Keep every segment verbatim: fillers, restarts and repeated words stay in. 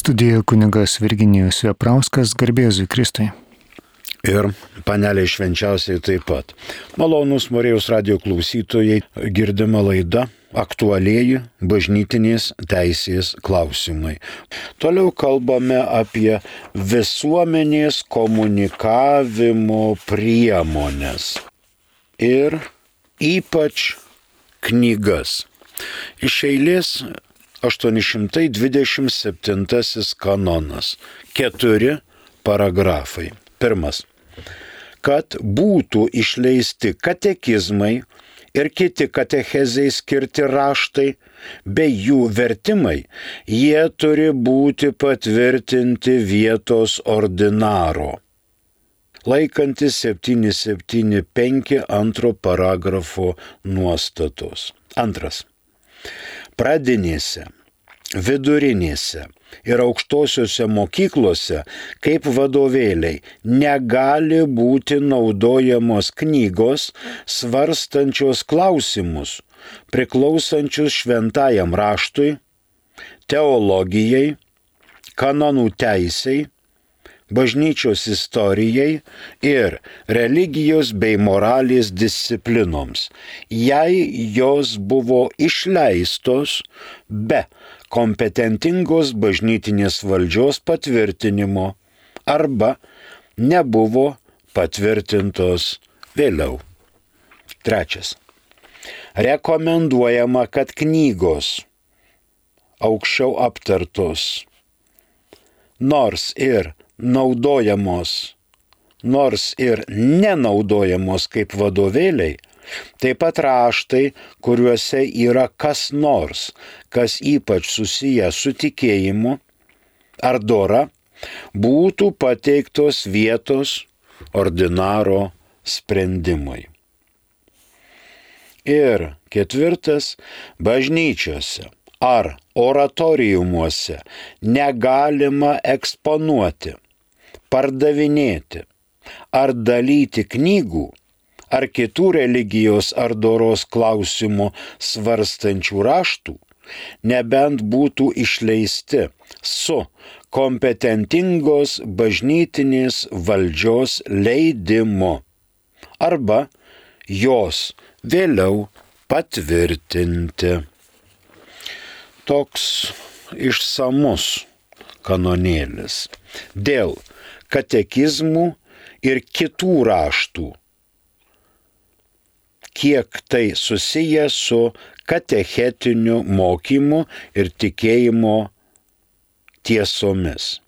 Studijoje kunigas Virginijus Veprauskas, garbė Jėzui Kristui. Ir panelė švenčiausiai taip pat. Malonūs Marijos radijo klausytojai, girdima laida aktualieji bažnytinės teisės klausimai. Toliau kalbame apie visuomenės komunikavimo priemones ir ypač knygas. Iš eilės aštuoni šimtai dvidešimt septintasis kanonas. Keturi paragrafai. Pirmas. Kad būtų išleisti katekizmai ir kiti katechezei skirti raštai, bei jų vertimai, jie turi būti patvirtinti vietos ordinaro. Laikantis septyni septyni penki antro paragrafo nuostatos. Antras. Pradinėse, vidurinėse ir aukštosiuose mokyklose kaip vadovėliai negali būti naudojamos knygos svarstančios klausimus, priklausančius šventajam raštui, teologijai, kanonų teisei, bažnyčios istorijai ir religijos bei moralės disciplinoms, jei jos buvo išleistos be kompetentingos bažnytinės valdžios patvirtinimo arba nebuvo patvirtintos vėliau. Trečias. Rekomenduojama, kad knygos aukščiau aptartos, nors ir naudojamos, nors ir nenaudojamos kaip vadovėliai, taip pat raštai, kuriuose yra kas nors, kas ypač susiję su tikėjimu ar dora, būtų pateiktos vietos ordinaro sprendimui. Ir ketvirtas, bažnyčiose ar oratoriumuose negalima eksponuoti, pardavinėti ar dalyti knygų ar kitų religijos ar doros klausimų svarstančių raštų, nebent būtų išleisti su kompetentingos bažnytinės valdžios leidimu arba jos vėliau patvirtinti. Toks išsamus kanonėlis dėl katekizmų ir kitų raštų, kiek tai susiję su katechetiniu mokymu ir tikėjimo tiesomis.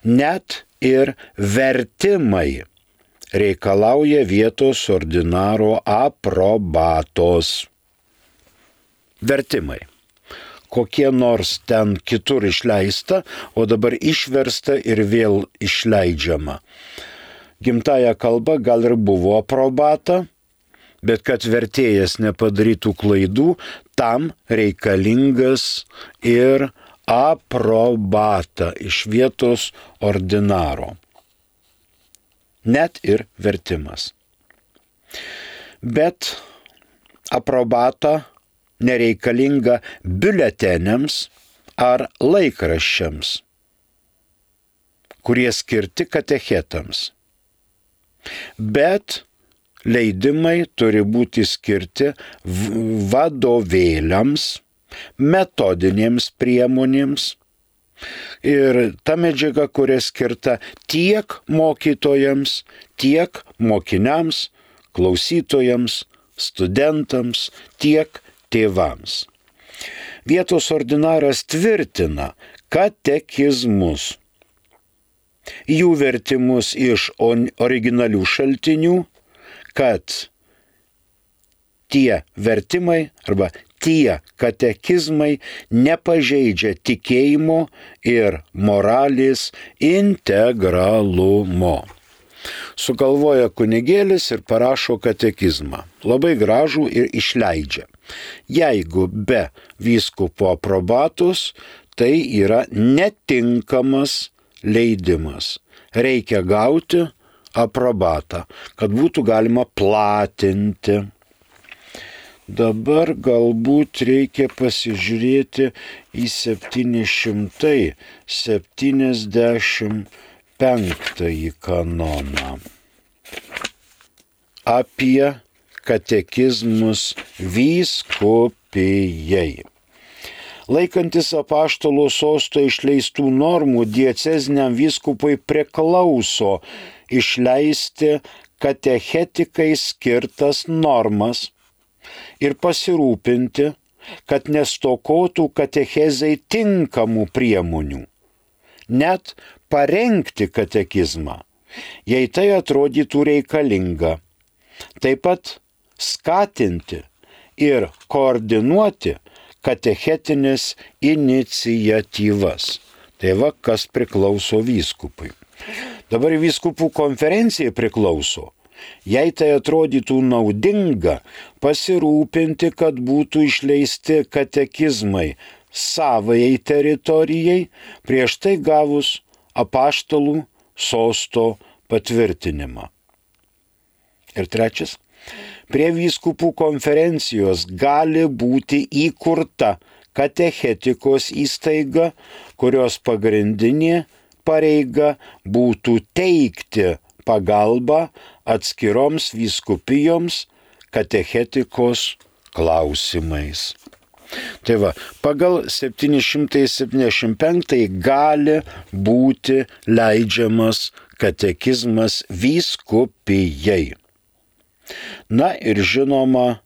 Net ir vertimai reikalauja vietos ordinaro aprobatos. Vertimai. Kokie nors ten kitur išleista, o dabar išversta ir vėl išleidžiama. Gimtąja kalba gal ir buvo aprobata, bet kad vertėjas nepadarytų klaidų, tam reikalingas ir aprobata iš vietos ordinaro. Net ir vertimas. Bet aprobata nereikalinga biuleteniams ar laikraščiams, kurie skirti katechetams. Bet leidimai turi būti skirti vadovėliams, metodinėms priemonėms ir ta medžiaga, kuria skirta tiek mokytojams, tiek mokiniams, klausytojams, studentams, tiek tėvams. Vietos ordinaras tvirtina katekizmus, jų vertimus iš originalių šaltinių, kad tie vertimai arba tie katekizmai nepažeidžia tikėjimo ir moralės integralumo. Sugalvoja kunigėlis ir parašo katekizmą. Labai gražų ir išleidžia. Jeigu be vyskupo aprobatos, tai yra netinkamas leidimas. Reikia gauti aprobatą, kad būtų galima platinti. Dabar galbūt reikia pasižiūrėti į septyni šimtai septyniasdešimt penktąjį kanoną apie katekizmus vyskupijai. Laikantis apaštalo sosto išleistų normų, dieceziniam vyskupui priklauso išleisti katechetikai skirtas normas ir pasirūpinti, kad nestokotų katechezai tinkamų priemonių, net parengti katekizmą, jei tai atrodytų reikalinga, taip pat skatinti ir koordinuoti katechetinės iniciatyvas. Tai va, kas priklauso vyskupui. Dabar vyskupų konferencijai priklauso, jei tai atrodytų naudinga, pasirūpinti, kad būtų išleisti katekizmai savai teritorijai, prieš tai gavus apaštalų sosto patvirtinimą. Ir trečias. Prie vyskupų konferencijos gali būti įkurta katechetikos įstaiga, kurios pagrindinė pareiga būtų teikti pagalbą atskiroms vyskupijoms katechetikos klausimais. Tai va, pagal septyni šimtai septyniasdešimt penktąjį gali būti leidžiamas katekizmas vyskupijai. Na ir žinoma,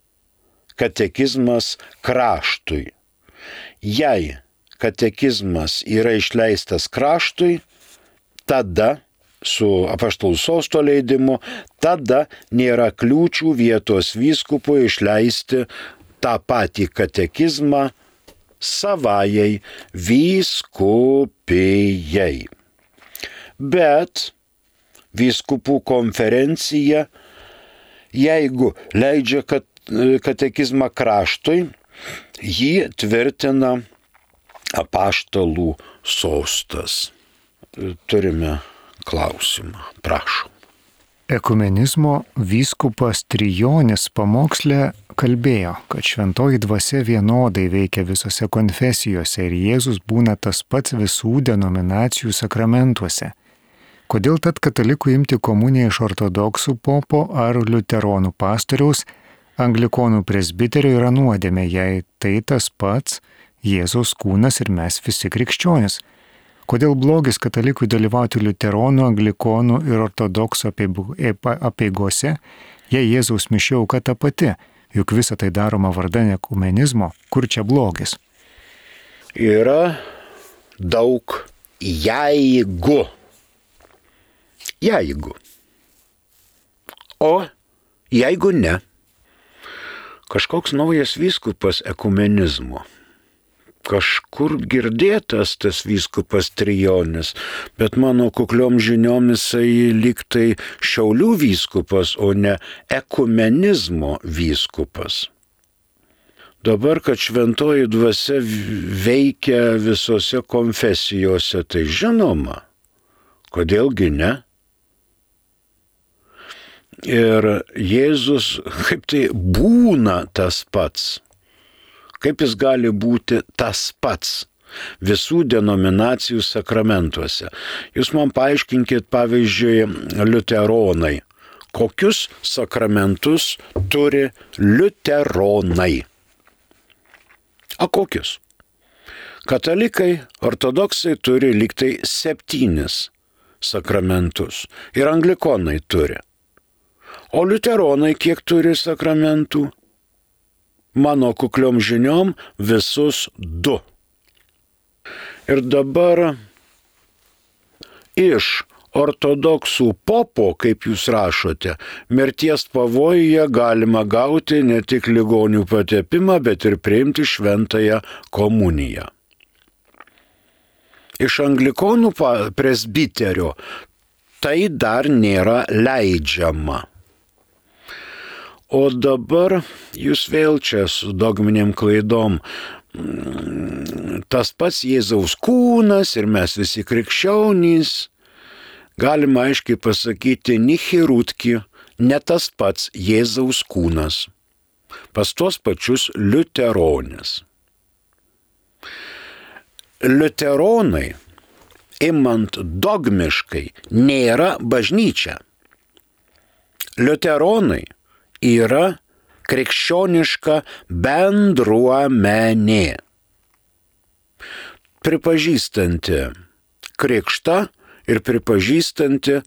katekizmas kraštui. Jei katekizmas yra išleistas kraštui, tada su apaštalų sosto leidimu, tada nėra kliūčių vietos vyskupui išleisti tą patį katekizmą savajai vyskupijai. Bet vyskupų konferencija, jeigu leidžia katekizmą kraštui, jį tvirtina apaštalų sostas. Turime klausimą, prašom. Ekumenizmo vyskupas Trijonis pamoksle kalbėjo, kad šventoji dvasia vienodai veikia visose konfesijose ir Jėzus būna tas pats visų denominacijų sakramentuose. Kodėl tad katalikų imti komuniją iš ortodoksų popo ar liuteronų pastoriaus, anglikonų presbiterio yra nuodėmė, jei tai tas pats Jėzaus kūnas ir mes visi krikščionys? Kodėl blogis katalikui dalyvauti liuteronų, anglikonų ir ortodoksų apeigose, jei Jėzaus mišių auka ta pati, juk visa tai daroma vardan ekumenizmo, kur čia blogis? Yra daug jeigu. Jeigu. O jeigu ne, kažkoks naujas vyskupas ekumenizmo. Kažkur girdėtas tas vyskupas Trijonis, bet mano kukliom žiniom jisai lyg tai Šiaulių vyskupas, o ne ekumenizmo vyskupas. Dabar, kad šventoji dvasia veikia visose konfesijose, tai žinoma, kodėlgi ne? Ir Jėzus kaip tai būna tas pats. Kaip jis gali būti tas pats visų denominacijų sakramentuose? Jūs man paaiškinkit, pavyzdžiui, liuteronai. Kokius sakramentus turi liuteronai? A kokius? Katalikai, ortodoksai turi lyg tai septynis sakramentus ir anglikonai turi. O liuteronai kiek turi sakramentų? Mano kukliom žiniom visus du. Ir dabar iš ortodoksų popo, kaip jūs rašote, mirties pavojuje galima gauti ne tik ligonių patepimą, bet ir priimti šventąją komuniją. Iš anglikonų presbiterio tai dar nėra leidžiama. O dabar jūs vėl čia su dogminėm klaidom. Tas pats Jėzaus kūnas ir mes visi krikščionys. Galima aiškiai pasakyti, nichirutki, ne tas pats Jėzaus kūnas. pas tuos pačius liuteronis. Liuteronai, imant dogmiškai, nėra bažnyčia. Liuteronai yra krikščioniška bendruomenė, pripažįstanti krikštą ir pripažįstanti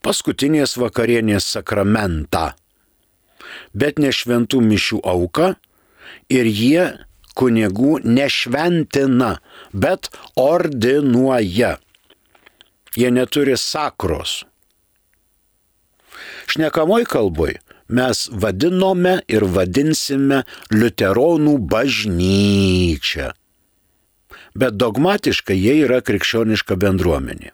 paskutinės vakarienės sakramentą, bet ne šventų mišių auką, ir jie kunigų nešventina, bet ordinuoja. Jie neturi sakros. Šnekamoj kalboj mes vadinome ir vadinsime liuteronų bažnyčią, bet dogmatiškai jie yra krikščioniška bendruomenė.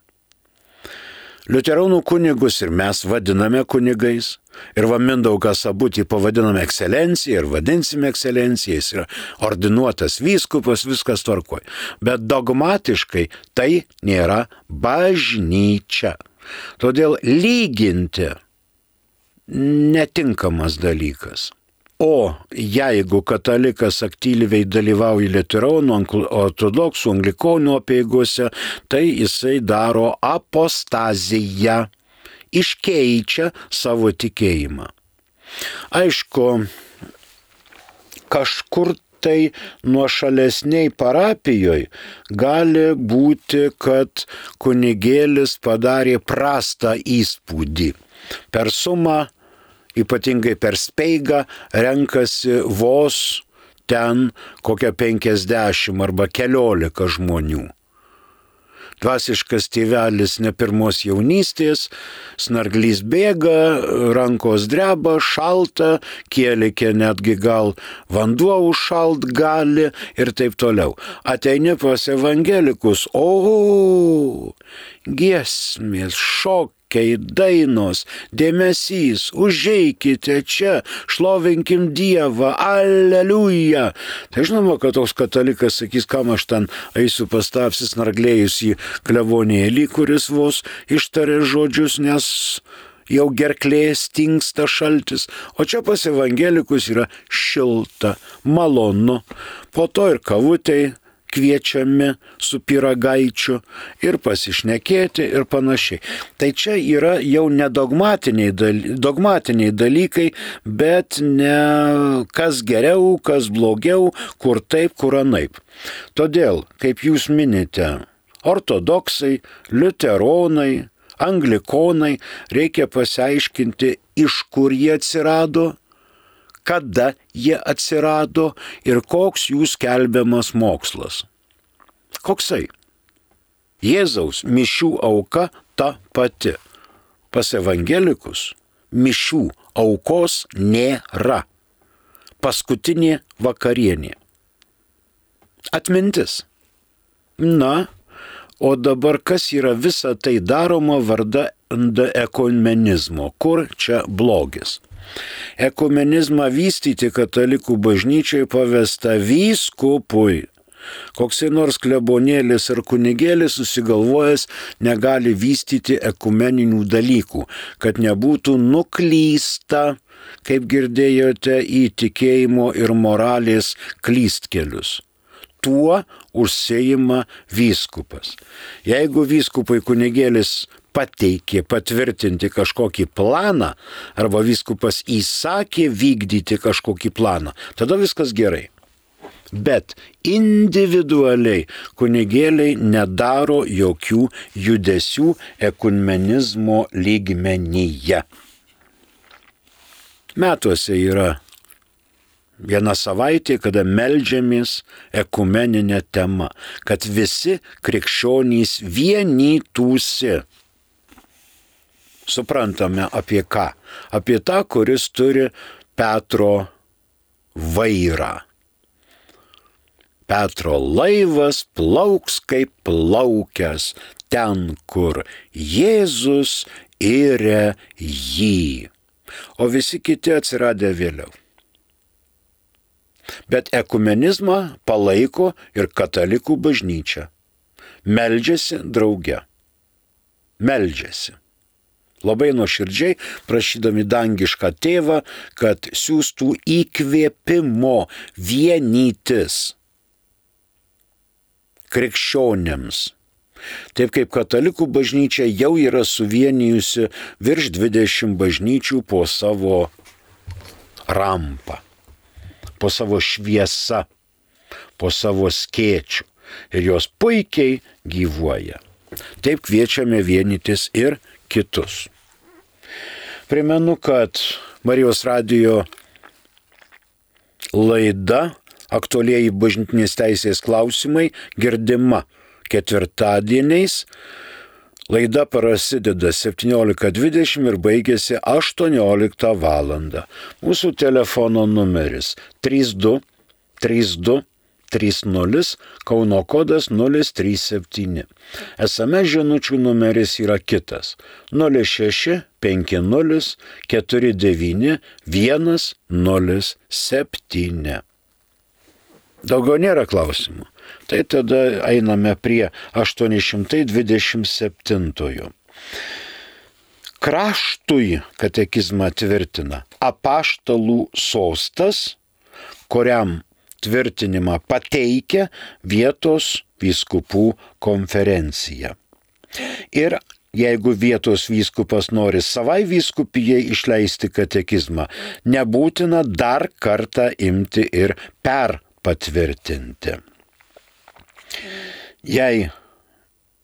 Liuteronų kunigus ir mes vadiname kunigais, ir va Mindaugas Sabutį pavadiname ekscelencija ir vadinsime ekscelencija, jis yra ordinuotas vyskupas, viskas tvarkoj. Bet dogmatiškai tai nėra bažnyčia. Todėl lyginti netinkamas dalykas. O jeigu katalikas aktyviai dalyvauja liuteronų, ortodoksų, anglikonų apeigose, tai jisai daro apostaziją, iškeičia savo tikėjimą. Aišku, kažkur tai nuošalesniai parapijoje gali būti, kad kunigėlis padarė prastą įspūdį. Per sumą, ypatingai per speigą, renkasi vos ten kokią penkiasdešimt arba keliolika žmonių. Dvasiškas tėvelis ne pirmos jaunystės, snarglys bėga, rankos dreba, šalta, kėlikė netgi gal vanduo užšalt gali ir taip toliau. Ateini pas evangelikus, o, giesmės, šok, dainos, dėmesys, užeikite čia, šlovinkim Dievą, aleliuja. Tai žinoma, kad toks katalikas sakys, kam aš ten eisiu pas tą apsisnarglėjusį klevonėlį, kuris vos ištarė žodžius, nes jau gerklė stingsta šaltis. O čia pas evangelikus yra šilta, malonu. Po to ir kavutei kviečiami su pyragaičiu ir pasišnekėti ir panašiai. Tai čia yra jau ne dogmatiniai, daly, dogmatiniai dalykai, bet ne kas geriau, kas blogiau, kur taip, kur anaip. Todėl, kaip jūs minite, ortodoksai, liuteronai, anglikonai, reikia pasiaiškinti, iš kur jie atsirado, kada jie atsirado ir koks jų skelbiamas mokslas. Koksai? Jėzaus mišių auka ta pati. Pas evangelikus mišių aukos nėra. Paskutinė vakarienė. Atmintis. Na, o dabar kas yra visa tai daroma vardan ekumenizmo? Kur čia blogis? Ekumenizmą vystyti katalikų bažnyčiai pavesta vyskupui. Koksai nors klebonėlis ar kunigėlis susigalvojęs negali vystyti ekumeninių dalykų, kad nebūtų nuklysta, kaip girdėjote, į tikėjimo ir moralės klystkelius. Tuo užsiima vyskupas. Jeigu vyskupui kunigėlis pateikė patvirtinti kažkokį planą, arba vyskupas įsakė vykdyti kažkokį planą, tada viskas gerai. Bet individualiai kunigėliai nedaro jokių judesių ekumenizmo lygmenyje. Metuose yra viena savaitė, kada meldžiamės ekumeninė tema, kad visi krikščionys vienytųsi. Suprantame apie ką? Apie tą, kuris turi Petro vairą. Petro laivas plauks kaip plaukęs ten, kur Jėzus yra jį. O visi kiti atsiradę vėliau. Bet ekumenizmą palaiko ir katalikų bažnyčia. Meldžiasi drauge. Meldžiasi. Labai nuoširdžiai prašydami dangišką tėvą, kad siūstų įkvėpimo vienytis krikščionėms. Taip kaip katalikų bažnyčia jau yra suvienijusi virš dvidešimt bažnyčių po savo rampą, po savo šviesą, po savo skėčių. Ir jos puikiai gyvuoja. Taip kviečiame vienytis ir kitus. Primenu, kad Marijos radijo laida Aktualieji bažnytinės teisės klausimai girdima ketvirtadieniais. Laida prasideda septyniolika dvidešimt ir baigėsi aštuonioliktą valandą. Mūsų telefono numeris trys du trys du trys nulis, Kauno kodas nulis trys septyni. S M S žinučių numeris yra kitas nulis šeši penki nulis keturi devyni vienas nulis septyni. Daugiau nėra klausimų. Tai tada einame prie aštuoni šimtai dvidešimt septintojo. Kraštui katekizmą tvirtina apaštalų sostas, kuriam tvirtinimą pateikia vietos vyskupų konferencija. Ir jeigu vietos vyskupas nori savai vyskupijai išleisti katekizmą, nebūtina dar kartą imti ir perpatvirtinti. Jei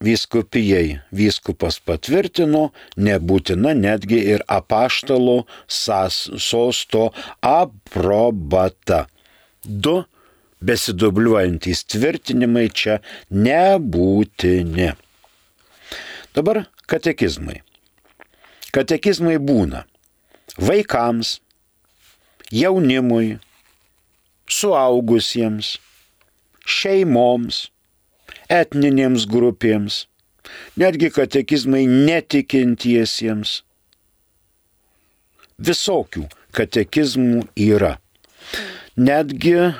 vyskupijai vyskupas patvirtino, nebūtina netgi ir apaštalo sosto aprobata. Du besidubliuojantys tvirtinimai čia nebūtini. Dabar katekizmai. Katekizmai būna vaikams, jaunimui, suaugusiems, šeimoms, etninėms grupėms, netgi katekizmai netikintiesiems. Visokių katekizmų yra. Netgi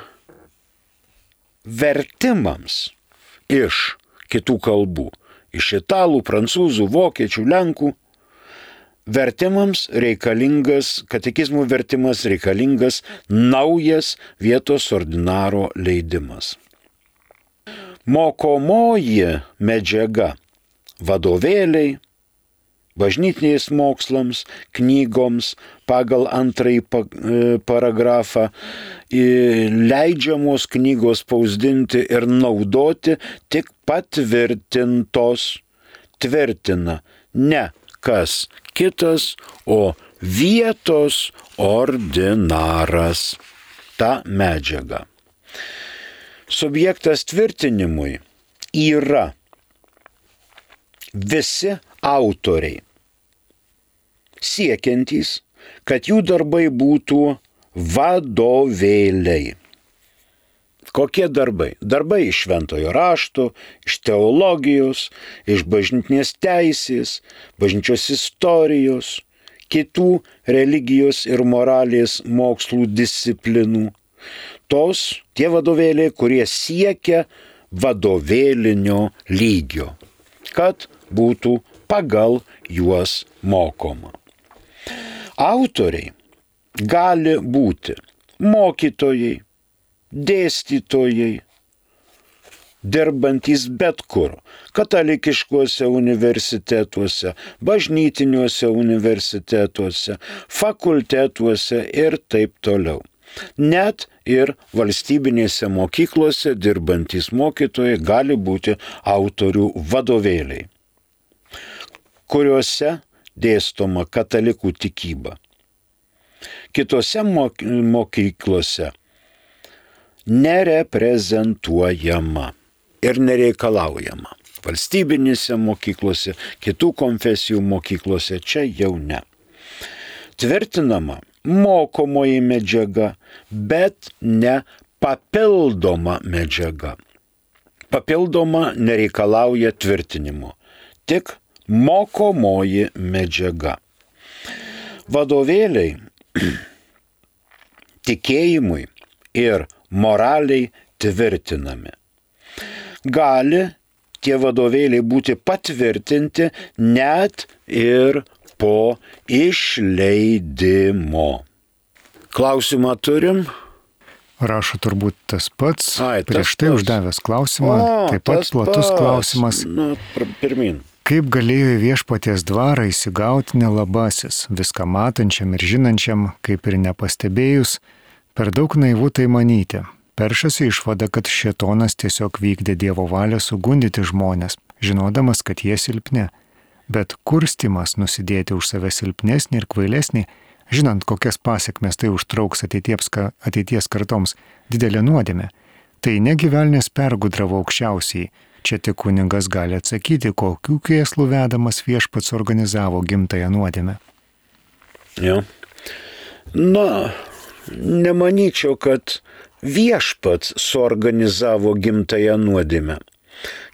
vertimams iš kitų kalbų, iš italų, prancūzų, vokiečių, lenkų, vertimams reikalingas, katekizmų vertimas reikalingas naujas vietos ordinaro leidimas. Mokomoji medžiaga, vadovėliai, bažnytiniais mokslams, knygoms pagal antrąjį paragrafą, leidžiamos knygos spausdinti ir naudoti tik patvirtintos, tvirtina ne kas kitas, o vietos ordinaras. Ta medžiaga. Subjektas tvirtinimui yra visi autoriai, siekiantys, kad jų darbai būtų vadovėliai. Kokie darbai? Darbai iš šventojo rašto, iš teologijos, iš bažnytinės teisės, bažnyčios istorijos, kitų religijos ir moralės mokslų disciplinų. Tos, tie vadovėliai, kurie siekia vadovėlinio lygio, kad būtų pagal juos mokoma. Autoriai gali būti mokytojai, dėstytojai, dirbantys bet kur, katalikiškuose universitetuose, bažnytiniuose universitetuose, fakultetuose ir taip toliau. Net ir valstybinėse mokyklose dirbantys mokytojai gali būti autorių vadovėliai, kuriuose dėstoma katalikų tikyba. Kitose mokyklose nereprezentuojama ir nereikalaujama. Valstybinėse mokyklose, kitų konfesijų mokyklose čia jau ne. Tvirtinama mokomoji medžiaga, bet ne papildoma medžiaga. Papildoma nereikalauja tvirtinimo, tik mokomoji medžiaga. Vadovėliai tikėjimui ir moraliai tvirtinami. Gali tie vadovėliai būti patvirtinti net ir po išleidimo. Klausimą turim? Rašo turbūt tas pats, Ai, tas prieš tai pats. uždavęs klausimą, O, taip pat tas platus pats. klausimas. Na, pr- pirmin. Kaip galėjo į viešpaties dvarą įsigauti nelabasis, viską matančiam ir žinančiam, kaip ir nepastebėjus, per daug naivu tai manyti. Peršasi išvada, kad šėtonas tiesiog vykdė Dievo valią sugundyti žmonės, žinodamas, kad jie silpni. Bet kurstimas nusidėti už save silpnesnį ir kvailesnį, žinant, kokias pasiekmes tai užtrauks ateities, ateities kartoms, didelė nuodėmė. Tai negi velnias pergudravo aukščiausiai. Čia tik kunigas gali atsakyti, kokių kėslų vedamas viešpats organizavo gimtąją nuodėmę. Jo. Na, nemanyčiau, kad viešpats suorganizavo gimtąją nuodėmę.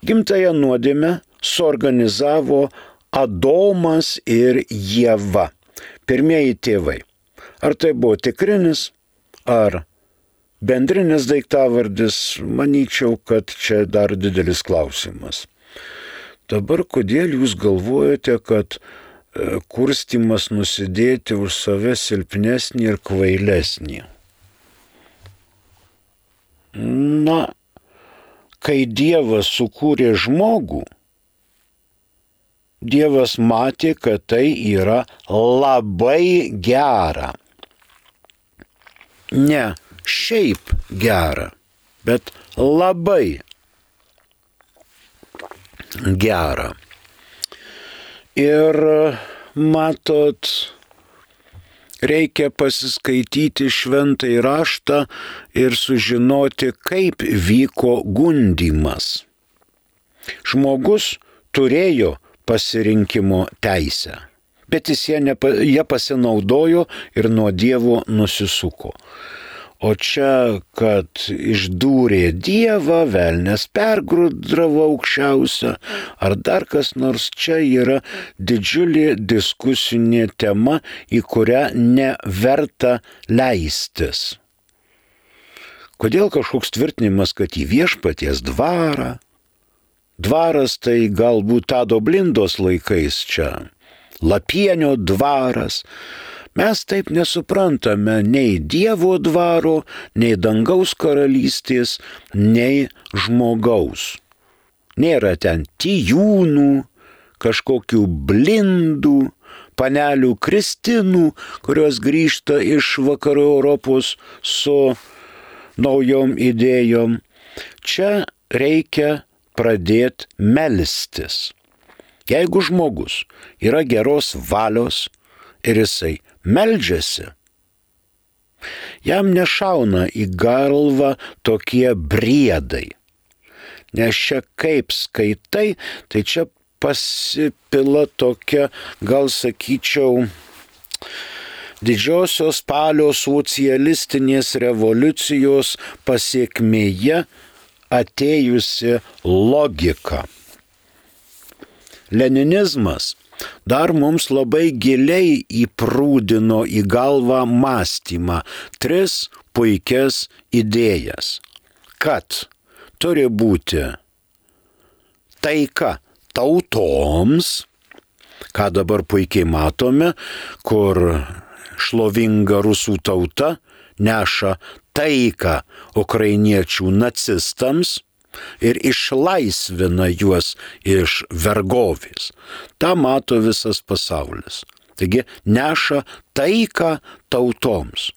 Gimtąją nuodėmę suorganizavo Adomas ir Ieva, pirmieji tėvai. Ar tai buvo tikrinis, ar bendrinis daiktavardis, manyčiau, kad čia dar didelis klausimas. Dabar kodėl jūs galvojate, kad e, kurstimas nusidėti už save silpnesnį ir kvailesnį? Na, kai Dievas sukūrė žmogų, Dievas matė, kad tai yra labai gera. Ne šiaip gera, bet labai gera. Ir matot, reikia pasiskaityti šventąjį raštą ir sužinoti, kaip vyko gundymas. Žmogus turėjo pasirinkimo teisę, bet jis jie, nepa, jie pasinaudojo ir nuo Dievo nusisuko. O čia, kad išdūrė Dievą, velnias pergudravo aukščiausią, ar dar kas nors, čia yra didžiulė diskusinė tema, į kurią neverta leistis. Kodėl kažkoks tvirtinimas, kad į viešpaties dvarą? Dvaras tai galbūt Tado Blindos laikais čia, Lapienio dvaras. Mes taip nesuprantame nei Dievo dvaro, nei dangaus karalystės, nei žmogaus. Nėra ten tijūnų, kažkokių blindų, panelių Kristinų, kurios grįžta iš vakarų Europos su naujom idėjom. Čia reikia pradėti melstis. Jeigu žmogus yra geros valios ir jisai meldžiasi, jam nešauna į galvą tokie briedai. Nes čia kaip skaitai, tai čia pasipila tokia, gal sakyčiau, didžiosios spalio socialistinės revoliucijos pasiekmėje atėjusi logika. Leninizmas dar mums labai giliai įprūdino į galvą mąstymą tris puikias idėjas. Kad turi būti taika tautoms, ką dabar puikiai matome, kur šlovinga rusų tauta neša taiką ukrainiečių nacistams ir išlaisvina juos iš vergovės. Ta mato visas pasaulis. Taigi neša taiką tautoms.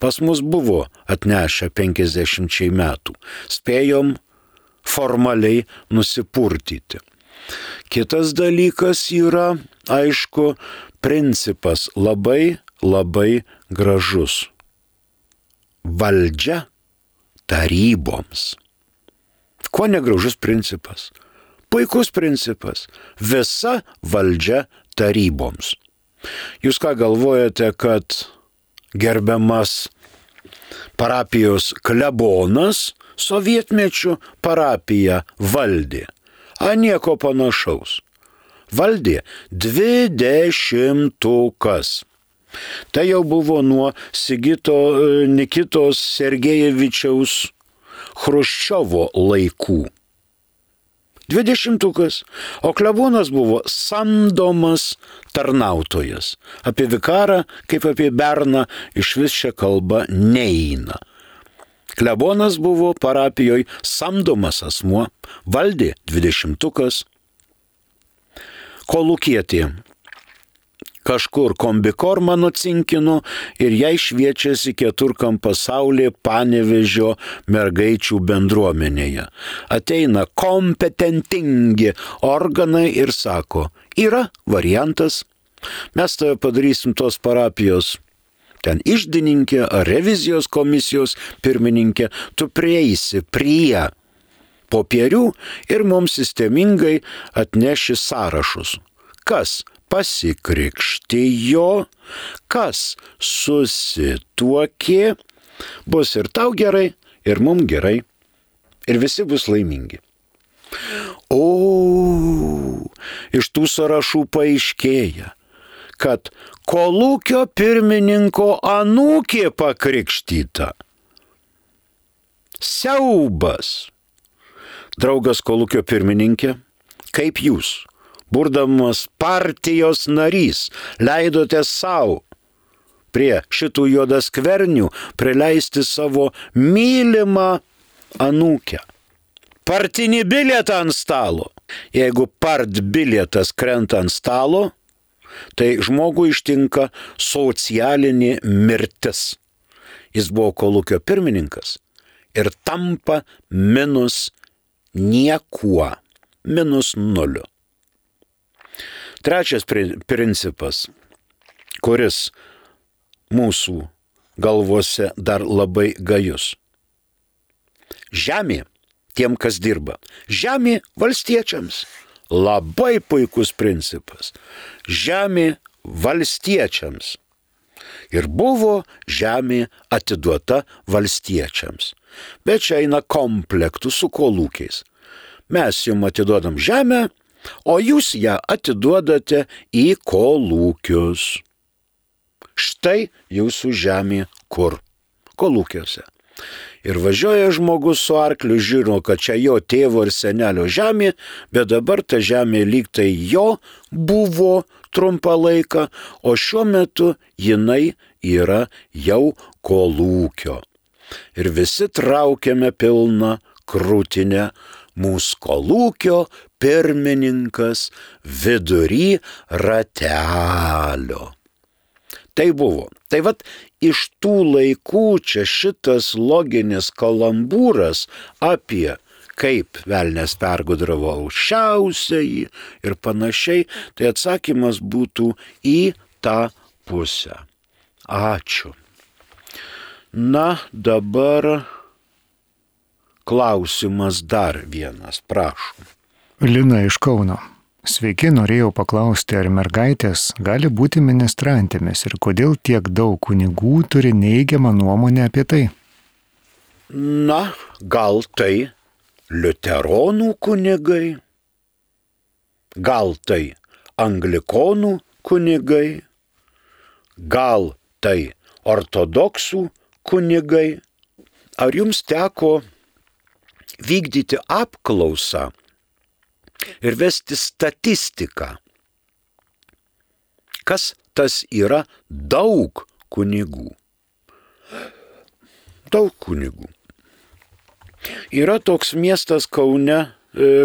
Pas mus buvo atnešę penkiasdešimčiai metų. Spėjom formaliai nusipurtyti. Kitas dalykas yra, aišku, principas labai, labai gražus. Valdžia taryboms. Kuo negražus principas? Puikus principas. Visa valdžia taryboms. Jūs ką galvojate, kad gerbiamas parapijos klebonas sovietmečių parapiją valdė? A nieko panašaus. Valdė dvidešimtukas. Tai jau buvo nuo Sigito Nikitos Sergejevičiaus Chruščiovo laikų. dvidešimtukas, o klebonas buvo samdomas tarnautojas. Apie vikarą, kaip apie berną, iš vis šia kalba neina. Klebonas buvo parapijoje samdomas asmuo, valdė dvidešimtukas, kolūkietė kažkur kombikormą nucinkino ir jai šviečiasi keturkam pasaulyje Panevėžio mergaičių bendruomenėje. Ateina kompetentingi organai ir sako, yra variantas, mes tave padarysim tos parapijos ten išdininkė ar revizijos komisijos pirmininkė, tu prieisi prie popierių ir mums sistemingai atneši sąrašus. Kas pasikrikštijo, kas susituokė, bus ir tau gerai, ir mum gerai, ir visi bus laimingi. O, iš tų sąrašų paaiškėja, kad kolūkio pirmininko anūkė pakrikštyta. Siaubas. Draugas kolūkio pirmininkė, kaip jūs, būdamas partijos narys, leidote savo prie šitų juodaskvernių prileisti savo mylimą anūkę. Partinį bilietą ant stalo. Jeigu part bilietas krenta ant stalo, tai žmogui ištinka socialinė mirtis. Jis buvo kolūkio pirmininkas ir tampa minus niekuo, minus nuliu. Trečias principas, kuris mūsų galvose dar labai gajus. Žemė tiem, kas dirba. Žemė valstiečiams. Labai puikus principas. Žemė valstiečiams. Ir buvo žemė atiduota valstiečiams. Bet čia eina komplektų su kolūkiais. Mes jums atiduodam žemę, o jūs ją atiduodate į kolūkius. Štai jūsų žemė kur? Kolūkiuose. Ir važiuoja žmogus su arkliu, žino, kad čia jo tėvo ir senelio žemė, bet dabar ta žemė lyg tai jo buvo trumpą laiką, o šiuo metu jinai yra jau kolūkio. Ir visi traukiame pilną krūtinę, mūsų kolūkio pirmininkas vidury ratelio. Tai buvo. Tai vat iš tų laikų čia šitas loginis kalambūras apie kaip velnias pergudravo aukščiausiąjį ir panašiai, tai atsakymas būtų į tą pusę. Ačiū. Na, dabar klausimas dar vienas, prašom. Lina iš Kauno. Sveiki, norėjau paklausti, ar mergaitės gali būti ministrantėmis ir kodėl tiek daug kunigų turi neigiamą nuomonę apie tai? Na, gal tai liuteronų kunigai, gal tai anglikonų kunigai, gal tai ortodoksų kunigai. Ar jums teko vykdyti apklausą ir vesti statistiką? Kas tas yra daug kunigų? Daug kunigų. Yra toks miestas Kaune,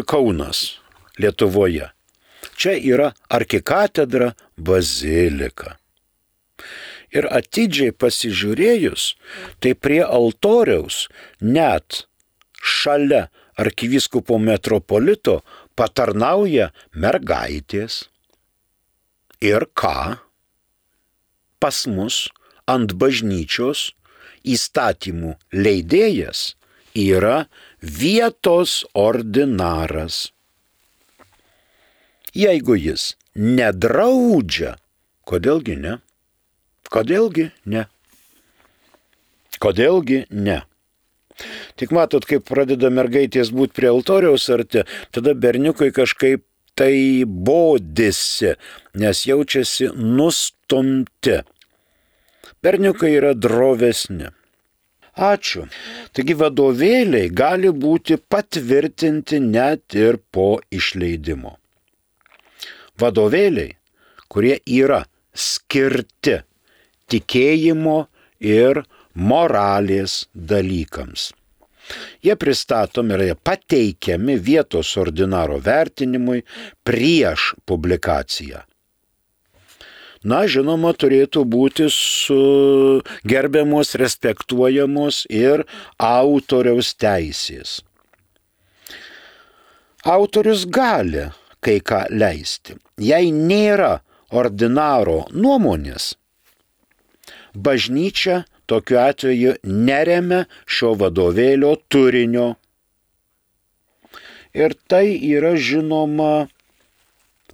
Kaunas, Lietuvoje. Čia yra arkikatedra bazilika. Ir atidžiai pasižiūrėjus, tai prie altoriaus net šalia arkivyskupo metropolito patarnauja mergaitės. Ir ką? Pas mus ant bažnyčios įstatymų leidėjas yra vietos ordinaras. Jeigu jis nedraudžia, kodėlgi ne? Kodėlgi ne? Kodėlgi ne? Tik matot, kaip pradeda mergaitės būti prie altoriaus arti, tada berniukai kažkaip tai bodisi, nes jaučiasi nustumti. Berniukai yra drovesni. Ačiū. Taigi vadovėliai gali būti patvirtinti net ir po išleidimo. Vadovėliai, kurie yra skirti tikėjimo ir moralės dalykams. Jie pristatomi ir pateikiami vietos ordinaro vertinimui prieš publikaciją. Na, žinoma, turėtų būti su gerbiamos, respektuojamos ir autoriaus teisės. Autorius gali kai ką leisti. Jei nėra ordinaro nuomonės, bažnyčia tokiu atveju neremia šio vadovėlio turinio. Ir tai yra žinoma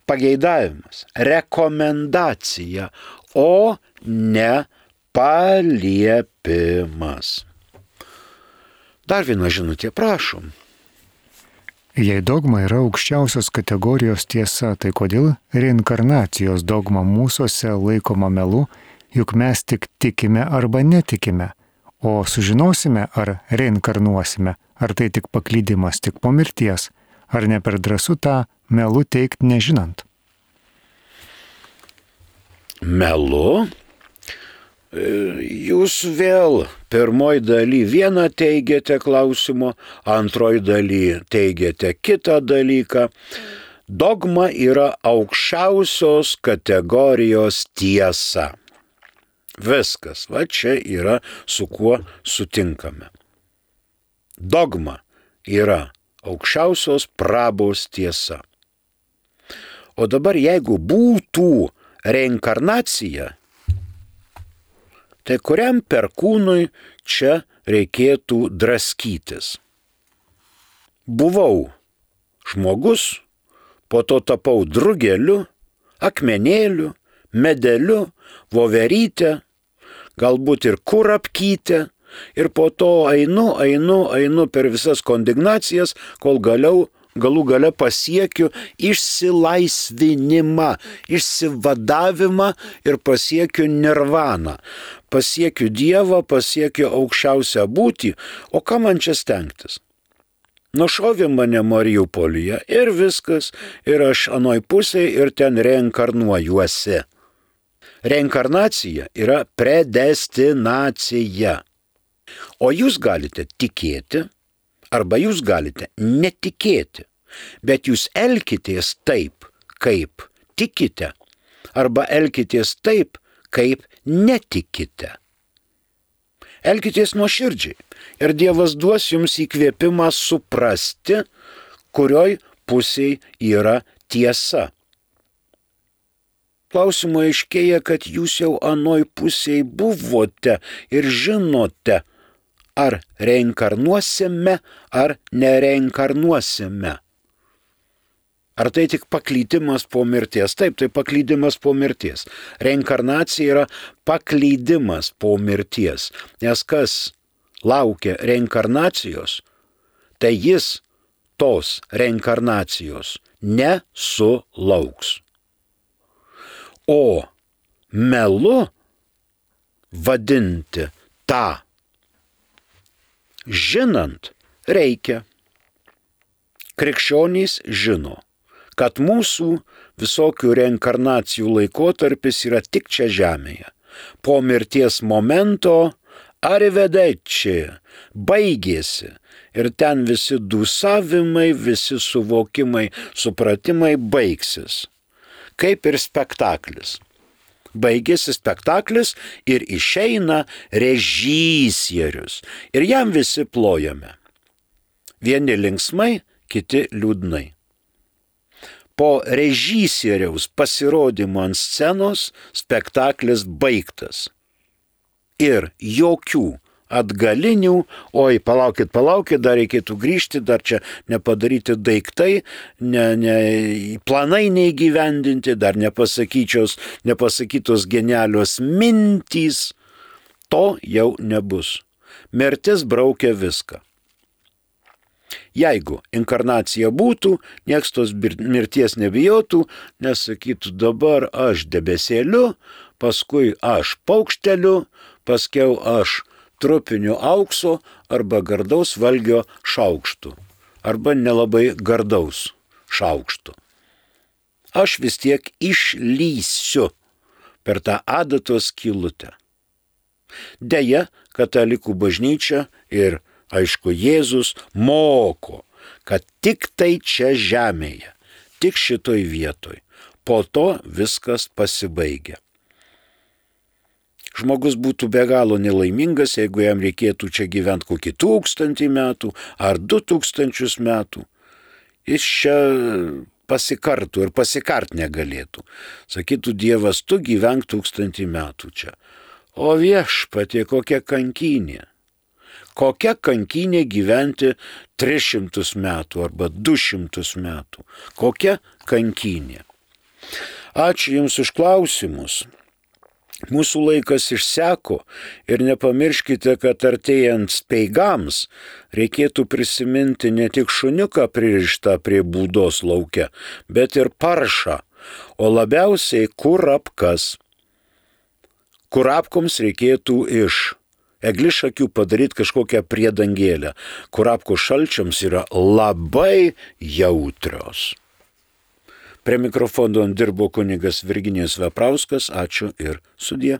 pageidavimas, rekomendacija, o ne paliepimas. Dar viena žinutė, prašom. Jei dogma yra aukščiausios kategorijos tiesa, tai kodėl reinkarnacijos dogma mūsuose laikoma melu, juk mes tik tikime arba netikime, o sužinosime, ar reinkarnuosime, ar tai tik paklydimas tik po mirties, ar ne per drąsu tą melu teikti nežinant. Melu? Jūs vėl pirmoj daly vieną teigiate klausimo, antroj daly teigiate kitą dalyką. Dogma yra aukščiausios kategorijos tiesa. Viskas, va čia yra su kuo sutinkame. Dogma yra aukščiausios prabos tiesa. O dabar jeigu būtų reinkarnacija, tai kuriam perkūnui čia reikėtų draskytis? Buvau žmogus, po to tapau drugeliu, akmenėliu, medeliu, voveryte, galbūt ir kurapkyte, ir po to einu, einu, einu per visas kondignacijas, kol galiau, galų gale pasiekiu išsilaisvinimą, išsivadavimą ir pasiekiu nirvaną. Pasiekiu Dievą, pasiekiu aukščiausią būtį, o ką man čia stengtis? Nušovė mane Mariupolyje ir viskas, ir aš anoj pusėje ir ten reinkarnuojuosi. Reinkarnacija yra predestinacija. O jūs galite tikėti, arba jūs galite netikėti, bet jūs elkitės taip, kaip tikite, arba elkitės taip, kaip netikite. Elkitės nuoširdžiai ir Dievas duos jums įkvėpimą suprasti, kurioj pusėje yra tiesa. Klausimo aiškėja, kad jūs jau anoj pusėje buvote ir žinote, ar reinkarnuosime, ar nereinkarnuosime. Ar tai tik paklydimas po mirties? Taip, tai paklydimas po mirties. Reinkarnacija yra paklydimas po mirties. Nes kas laukia reinkarnacijos, tai jis tos reinkarnacijos nesulauks. O melu vadinti tą žinant reikia. Krikščionys žino, kad mūsų visokių reinkarnacijų laikotarpis yra tik čia žemėje. Po mirties momento arrivederci baigėsi ir ten visi dūsavimai, visi suvokimai, supratimai baigsis. Kaip ir spektaklis. Baigėsi spektaklis ir išeina režisierius. Ir jam visi plojame. Vieni linksmai, kiti liūdnai. Po režisieriaus pasirodymo ant scenos spektaklis baigtas. Ir jokių atgalinių, oi, palaukit, palaukit, dar reikėtų grįžti, dar čia nepadaryti daiktai, ne, ne, planai neįgyvendinti, dar nepasakytos, nepasakytos genialios mintys, to jau nebus. Mirtis braukia viską. Jeigu inkarnacija būtų, nieks tos mirties nebijotų, nes sakytų dabar aš debesėliu, paskui aš paukšteliu, paskiau aš trupiniu aukso arba gardaus valgio šaukštu, arba nelabai gardaus šaukštu. Aš vis tiek išlysiu per tą adatos skylutę. Deja, katalikų bažnyčia ir, aišku, Jėzus moko, kad tik tai čia žemėje, tik šitoj vietoj, po to viskas pasibaigia. Žmogus būtų be galo nelaimingas, jeigu jam reikėtų čia gyventi kokį tūkstantį metų ar du tūkstančius metų. Jis čia pasikartų ir pasikart negalėtų. Sakytų Dievas, tu gyvenk tūkstantį metų čia. O viešpatie, kokia kankynė. Kokia kankynė gyventi tris šimtus metų arba du šimtus metų. Kokia kankynė. Ačiū Jums už klausimus. Mūsų laikas išseko ir nepamirškite, kad artėjant speigams reikėtų prisiminti ne tik šuniuką pririštą prie būdos lauke, bet ir paršą, o labiausiai kurapkas. Kurapkoms reikėtų iš eglišakių padaryti kažkokią priedangėlę. Kurapkų šalčiams yra labai jautrios. Prie mikrofono dirbo kunigas Virginijus Veprauskas. Ačiū ir sudie.